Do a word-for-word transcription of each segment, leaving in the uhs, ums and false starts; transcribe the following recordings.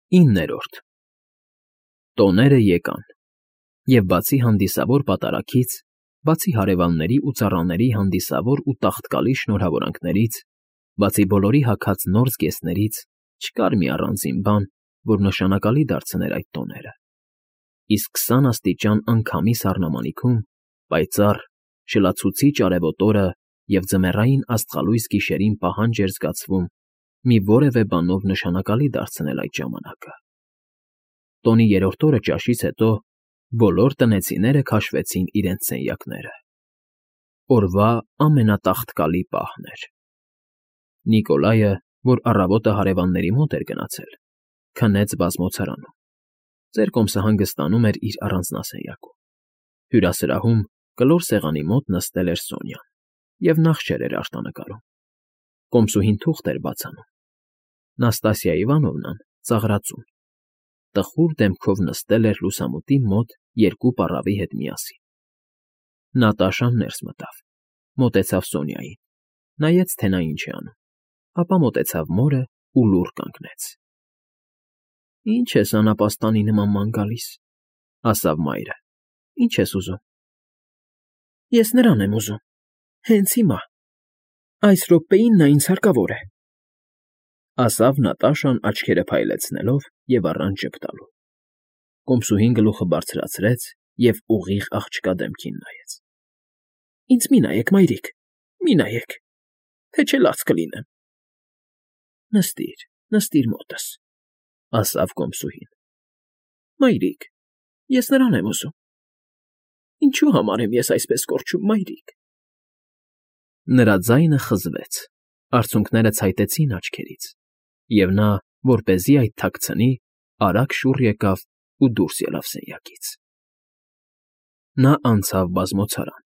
Իններորդ Տոները եկան, և բացի հանդիսավոր պատարագից, բացի հարևանների ու ծառաների հանդիսավոր ու տաղտկալի շնորհավորանքներից, բացի բոլորի հագած նոր զգեստներից չկար մի առանձին բան, որ նշանակալի դարձներ այդ տոները, իսկ քսան աստիճան անքամի սառնամանիքում պայծառ, շլացուցիչ արևոտ օրը և ձմեռային աստղալույս գիշերին պահանջ էր զգացվում մի որևէ բանով նշանակալի դարձնել այդ ժամանակը։ Տոնի երրորդ օրը ճաշից հետո բոլոր տնեցիները քաշվեցին իրենց սենյակները։ Օրվա ամենատաղտկալի պահն էր։ Նիկոլայը, որ առավոտը հարևանների մոտ էր գնացել, քնեց բազմոցարանում, ծեր կոմսը հանգստանում էր իր առանձնասենյակում։ Հյուրասրահում կլոր սեղանի մոտ նստել էր Սոնյան և նախշեր էր արտանկարում։ Կոմսուհին թուղթ էր բաց անում։ Նաստասիա Իվանովնան ծաղրածուն, տխուր դեմքով նստել էր լուսամուտի մոտ երկու պառավի հետ միասին։ Նատաշան ներս մտավ, մոտեցավ Սոնյային, նայեց, թե նա ինչ է անում, ապա մոտեցավ մորն ու լուռ կանգնեց։ ֊ Ի՞նչ ես անապաստանի նման ման գալիս,֊ ասավ մայրը,֊ ի՞նչ ես ուզում։ ֊ Ես նրան եմ ուզում, հենց հիմա, այս րոպեին նա ինձ հարկավոր է,֊ ասավ Նատաշան աչքերը փայլեցնելով և առանց ժպտալու։ Կոմսուհին գլուխը բարձրացրեց և ուղիղ աղջկա դեմքին նայեց։ ֊ Ինձ մի նայեք, մայրիկ, մի նայեք, թե չէ լաց կլինեմ։ ֊ Նստիր, նստիր մոտս,֊ ասավ կոմսուհին։ ֊ Մայրիկ, ես նրան եմ ուզում։ ֊ Ինչու համար եմ ես այսպես կորչում, մայրիկ։ Նրա ձայնը խզվեց, արցունքները ցայտեցին աչքերից, և նա, որպեսզի այդ թաքցնի, արագ շուռ եկավ ու դուրս ելավ սենյակից։ Նա անցավ բազմոցարան,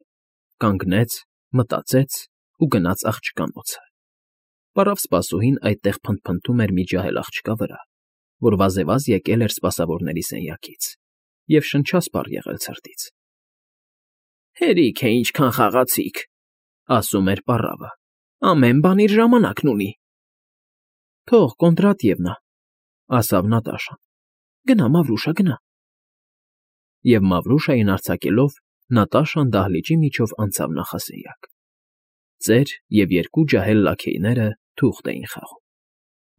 կանգնեց, մտածեց ու գնաց աղջկանոցը։ Պառավ սպասուհին այդտեղ փնթփնթում էր մի ջահել աղջկա վրա, որ վազեվազ եկել էր սպասավորների սենյակից և շնչասպառ եղել ցրտից։ ֊ Հերիք է ինչքան խաղացիք,֊ ասում էր պառավը,֊ ամեն բան իր ժամանակն ունի։ ֊ Թող, Կոնդրատիևնա,֊ ասավ Նատաշան,֊ գնա, Մավրուշա, գնա։ Եվ Մավրուշային արձակելով՝ Նատաշան դահլիճի միջով անցավ նախասենյակ։ Ծեր և երկու ջահել լաքեյները թուղթ էին խաղում։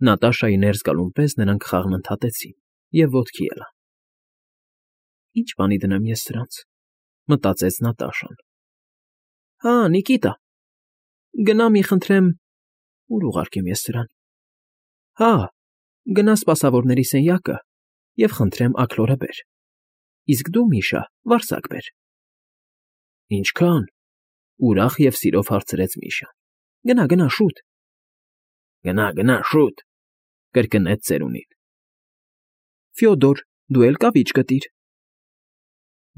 Նատաշայի ներս գալուն պես նրանք խաղն ընդհատեցին և ոտքի ելան։ «Ի՞նչ բանի դնեմ ես սրանց,֊ մտածեց Նատաշան։ ֊ Հա, Նիկիտա, գնա մի խնդրեմ, ո՞ւր ուղարկեմ ես սրան։ Հա, գնա սպասավորների սենյակը և խնդրեմ աքլորը բեր, իսկ դու, Միշա, վարսակ բեր։ ֊ Ինչքա՞ն,֊ ուրախ և սիրով հարցրեց Միշան։ ֊ Գնա, գնա, շուտ։ ֊ Գնա, գնա, շուտ,֊ կրկնեց ծերունին։ ֊ Ֆյոդոր, դու էլ կավիճ գտիր։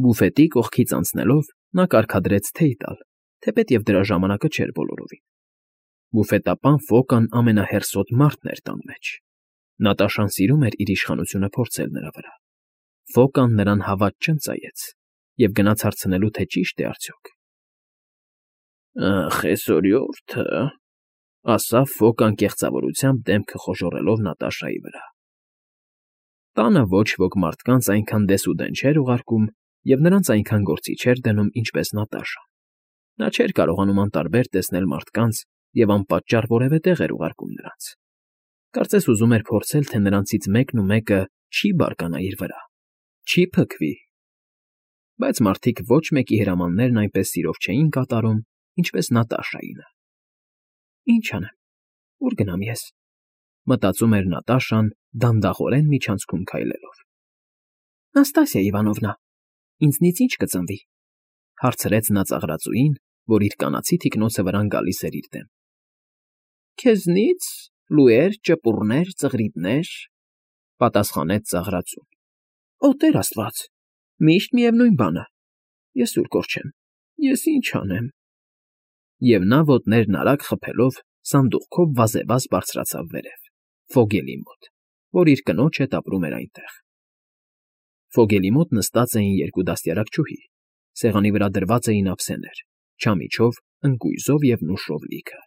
Բուֆետի կողքից անցնելով՝ նա կարգադրեց թեյ տալ, թեպետև դրա ժամանակը չէր բոլորովին։ Բուֆետապան Ֆոկան ամենահեռսոտ մարդն էր տան մեջ։ Նատաշան սիրում էր իր իշխանությունը փորձել նրա վրա։ Ֆոկան նրան հավատ չընծայեց և գնաց հարցնելու, թե ճի՞շտ է արդյոք։ ֊ Ախ, էսօրյորթը,֊ ասավ Ֆոկան կեղծավորությամբ դեմքը խոժոռելով Նատաշայի վրա։ Տանը ոչ ոք մարդկանց այնքան դեսուդեն չէր ուղարկում և նրանց այնքան գործի չէր դնում, ինչպես Նատաշան։ Նա չէր կարողանում անտարբեր տեսնել մարդկանց և անպատճառ որևէ տեղ էր ուղարկում նրանց։ Կարծես ուզում էր փորձել, թե նրանցից մեկն ու մեկը չի բարկանա իր վրա, չի փքվի։ Բայց մարդիկ ոչ մեկի հրամաններն այնպես սիրով չէին կատարում, ինչպես Նատաշայինը։ «Ինչ անեմ, ո՞ւր գնամ ես,֊ մտածում էր Նատաշան՝ դանդաղորեն միջանցքում քայլելով։ ֊ Նաստասիա Իվանովնա, ինձնից ի՞նչ կծնվի,֊ հարցրեց նա ծաղրածուին, որ իր կանացի թիկնոցը վրան գալիս էր իր դեմ։ ֊ Քեզնի՞ց, լուեր, ճպուռներ, ծղրիդներ,֊ պատասխանեց ծաղրածուն։ ֊ Օ, Տեր աստված, միշտ միևնույն բանը, ես ուր կորչեմ, ես ինչ անեմ։ Եվ նա ոտներն արագ խփելով սանդուղքով վազեվազ բարձրացավ վերև, Ֆոգելի մոտ, որ իր կնոջ հետ ապրում էր այնտեղ։ Ֆոգելի մոտ նստած էին երկու դաստիարակչուհի, սեղանի վրա դրված էին ափսեներ, չամիչով, ընկույզով և նուշով լիքը։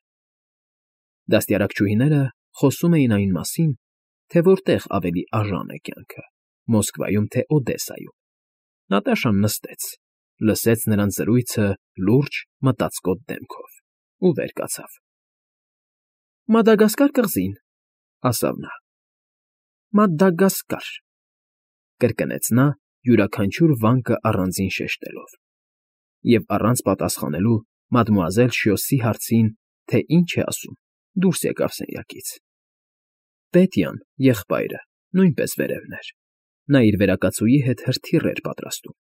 Դաստիարակչուհիները խոսում էին այն մասին, թե որտեղ ավելի արժան է կյանքը՝ Մոսկվայում, թե Օդեսայում։ Նատաշան նստեց, լսեց նրանց զրույցը լուրջ, մտածկոտ դեմքով ու վեր կացավ։ ֊ Մադագասկար կղզին, ֊ ասավ նա։ ֊ Մադագասկար, ֊ կրկնեց նա յուրաքանչյուր վանկը առանձին շեշտելով, և առանց պատասխանելու մադմուազել Շյոսի հարցին, թե ինչ է ասում, դուրս եկավ սենյակից։ Պետյան, եղբայրը, նույնպես վերևն էր. նա իր վերակացուի հետ հրթիռ էր պատրաստում,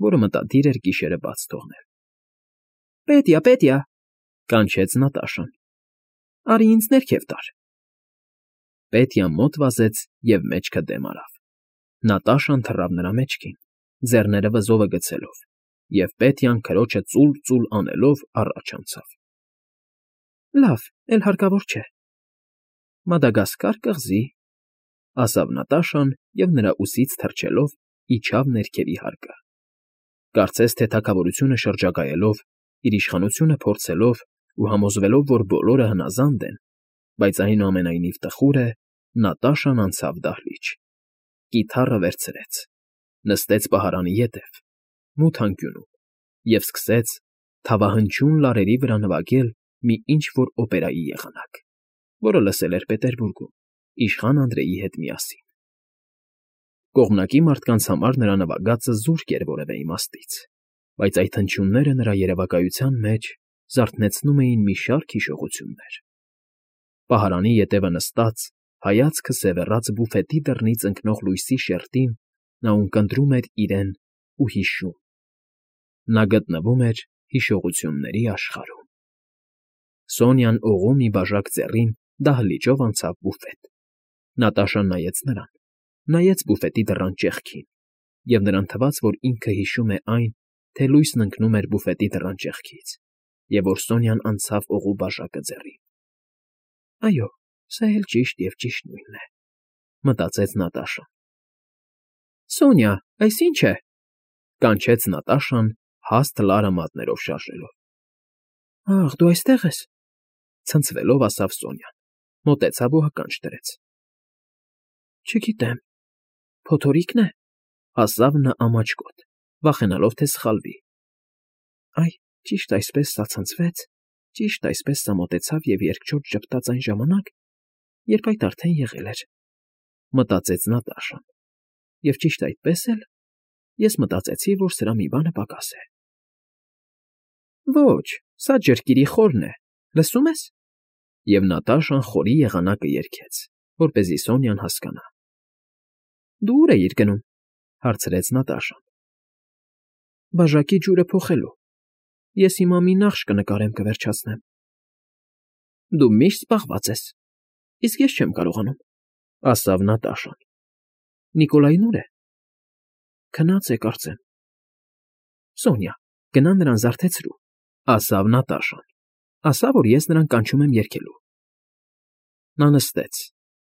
որը մտադիր էր գիշերը բաց թողնել։ ֊ Պետյա, Պետյա, ֊ կանչեց Նատաշան, ֊ արի ինձ ներքև տար։ Պետյան մոտ վազեց և մեջքը դեմ արավ։ Նատաշան թռավ նրա մեջքին, ձեռները վզովը գցելով, և Պետյան քրոջը ծուլ֊ծուլ անելով առաջ անցավ։ ֊ Լավ, էլ հարկավոր չէ։ ֊ Մադագասկար կղզի, ֊ ասավ Նատաշան և նրա ուսից թռչելով իջավ ներքևի հարկը։ Կարծես թե թագավորությունը շրջագայելով, իր իշխանությունը փորձելով ու համոզվելով, որ բոլորը հնազանդ են, բայց այնուամենայնիվ տխուր է, Նատաշան անցավ դահլիճ, կիթառը վերցրեց, նստեց պահարանի ետև, մութ անկյունում, և սկսեց թավահնչյուն լարերի վրա նվագել մի ինչ֊որ օպերայի եղանակ, որը լսել էր Պետերբուրգում, իշխան Անդրեի հետ միասին։ Կողմնակի մարդկանց համար նրա նվագածը զուրկ էր որևէ իմաստից, բայց այդ հնչյունները նրա երևակայության մեջ զարթնեցնում էին մի շարք հիշողություններ։ Պահարանի ետևը նստած, հայացքը սևեռած բուֆետի դռնից ընկնող լույսի շերտին, նա ունկնդրում էր իրեն ու հիշում։ Նա գտնվում էր հիշողությունների աշխարհում։ Սոնյան օղու մի բաժակ ձեռին դահլիճով անցավ բուֆետ։ Նատաշան նայեց նրան, նայեց բուֆետի դռան ճեղքին, և նրան թվաց, որ ինքը հիշում է այն, թե լույսն ընկնում էր բուֆետի դռան ճեղքից, և որ Սոնյան անցավ օղու բաժակը ձեռին։ «Այո, սա էլ ճիշտ և ճիշտ նույնն է», ֊ մտածեց Նատաշան։ ֊ Սոնյա, այս ի՞նչ է, ֊ կանչեց Նատաշան, հաստ լարը մատներով շարժելով։ ֊ Ախ, դու այստեղ ես, ֊ ցնցվելով ասավ Սոնյան, մոտեցավ ու ականջ դրեց։ ֊ Չգիտեմ, փոթորիկն է, ֊ ասավ նա ամաչկոտ, վախենալով, թե սխալվի։ ֊ Այ, ճիշտ այսպես սա ցնցվեց, ճիշտ այսպես սա մոտեցավ և երկչոտ ժպտաց այն ժամանակ, երբ այդ արդեն եղել էր, ֊ մտածեց Նատաշան, և ճիշտ այդպես էլ ես մտածեցի, որ սրա մի բանը պակաս է։ ֊ Ոչ, սա ջրկիրի խորն է, լսում ես։ Եվ Նատաշան խորի եղանակը երգեց, որպեսզի Սոնյան հասկանա։ ֊ Դու ուր էիր գնում, ֊ հարցրեց Նատաշան։ ֊ Բաժակի ջուրը փոխելու։ Ես հիմա մի նախշ կնկարեմ, կվերջացնեմ։ ֊ Դու միշտ զբաղված ես, իսկ ես չեմ կարողանում, ֊ ասավ Նատաշան։ ֊ Նիկոլային ո՞ւր է։ ֊ Քնած է, կարծեմ։ ֊ Սոնյա, գնա նրան զարթեցրու, ֊ ասավ Նատաշան, ֊ ասա, որ ես նրան կանչում եմ երգելու։ Նա նստեց,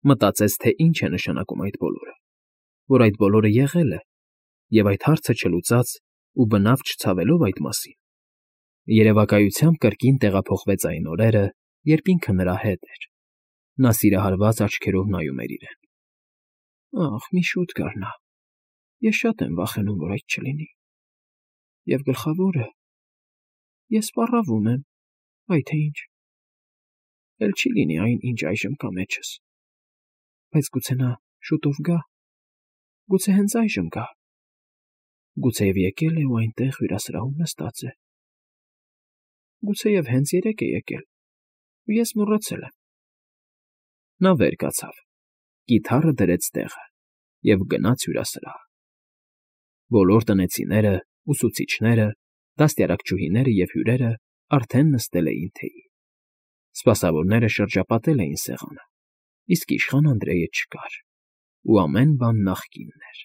մտածեց, թե ինչ է նշանակում այդ բոլորը, որ այդ բոլորը եղել է, և այդ հարցը չլուծած ու բնավ չցավելով այդ մասին, երևակայությամբ կրկին տեղափոխվեց այն օրերը, երբ ինքը նրա հետ էր։ Նա սիրահարված աչքերով նայում էր իրեն։ Ախ, մի շուտ գար նա, ես շատ եմ վախենում, որ այդ չլինի։ Եվ գլխավորը, ես սպառավում եմ, այ թե ինչ, էլ չի լինի այն, ինչ այժմ կա մեջս, բայց գուցե նա շուտով գա, գուցե հենց այժմ գա, գուցեև եկել է ու այնտեղ հյուրասրահում նստած է, գուցեև հենց երեկ է եկել, ու ես մոռացել եմ։ Նա վեր կացավ, կիթառը դրեց տեղը և գնաց հյուրասրահ։ Բոլոր տնեցիները, ուսուցիչները, դաստիարակչուհիները և հյուրերը արդեն նստել էին թեյի։ Սպասավորները շրջապատել էին սեղանը, իսկ իշխան Անդրեյը չկար, ու ամեն բան նախկինն էր։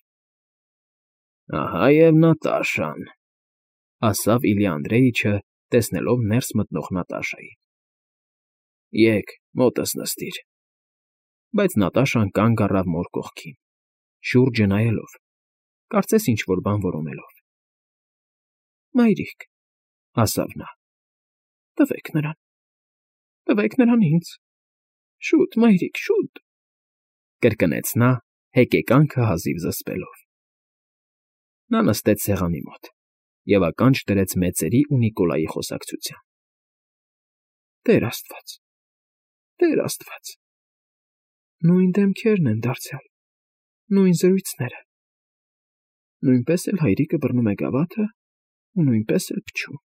֊ Ահա և Նատաշան, ֊ ասավ Իլյա Անդրեյիչը, տեսնելով ներս մտնող Նատաշային։ ֊ Եկ, մոտս նստիր։ Բայց Նատաշան կանգ առավ մոր կողքին, շուրջը նայելով, կարծես ինչ֊որ բան որոնելով։ ֊ Մայրիկ, ֊ ասավ նա, ֊ տվեք նրան, տվեք նրան ինձ, շուտ, մայրիկ, շուտ։ Կրկնեց նա, հեկեկանքը հազիվ զսպելով։ Նա նստեց սեղանի մոտ և ականջ դրեց մեծերի ու Նիկոլայի խոսակցությանը։ Տեր աստված, Տեր աստված… Նույն դեմքերն են դարձյալ, նույն զրույցները… Նույնպես էլ հայրիկը բռնում է գավաթը ու նույնպես էլ փչում,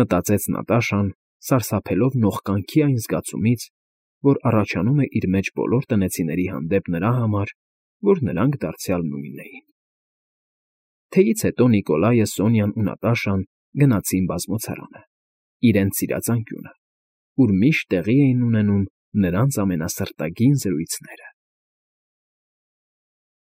մտածեց Նատաշան, սարսափելով նողկանքի այն զգացումից, որ առաջանում է իր մեջ բոլոր տնեցիների հանդեպ նրա համար, որ նրանք դարձյալ նույնն էին… Թեյից հետո Նիկոլայը, Սոնյան ու Նատաշան գնացին բազմոցարանը, իրենց սիրած անկյունը, ուր միշտ տեղի էին ունենում նրանց ամենասրտագին զրույցները։